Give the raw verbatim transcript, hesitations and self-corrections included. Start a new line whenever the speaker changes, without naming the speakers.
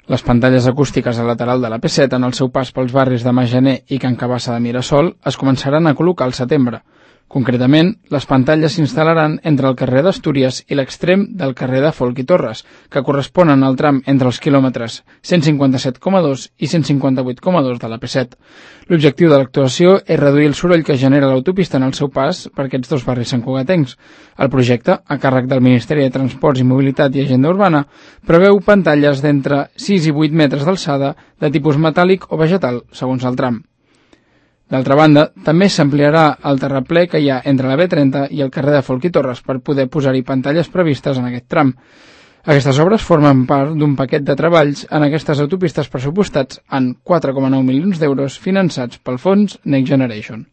Les pantalles acústiques al lateral de la P set en el seu pas pels barris de Majaner i Can Cabassa de Mirasol es començaran a col·locar al setembre. Concretament, les pantalles s'instal·laran entre el carrer d'Astúries i l'extrem del carrer de Folch i Torres, que corresponen al tram entre els quilòmetres cent cinquanta-set coma dos i cent cinquanta-vuit coma dos de la P set. L'objectiu de l'actuació és reduir el soroll que genera l'autopista en el seu pas per aquests dos barris santcugatencs. El projecte, a càrrec del Ministeri de Transports i Mobilitat i Agenda Urbana, preveu pantalles d'entre sis i vuit metres d'alçada de tipus metàl·lic o vegetal, segons el tram. D'altra banda, també s'ampliarà el terraplè que hi ha entre la B trenta i el carrer de Folch i Torres per poder posar-hi pantalles previstes en aquest tram. Aquestes obres formen part d'un paquet de treballs en aquestes autopistes pressupostats en quatre coma nou milions d'euros finançats pel fons Next Generation.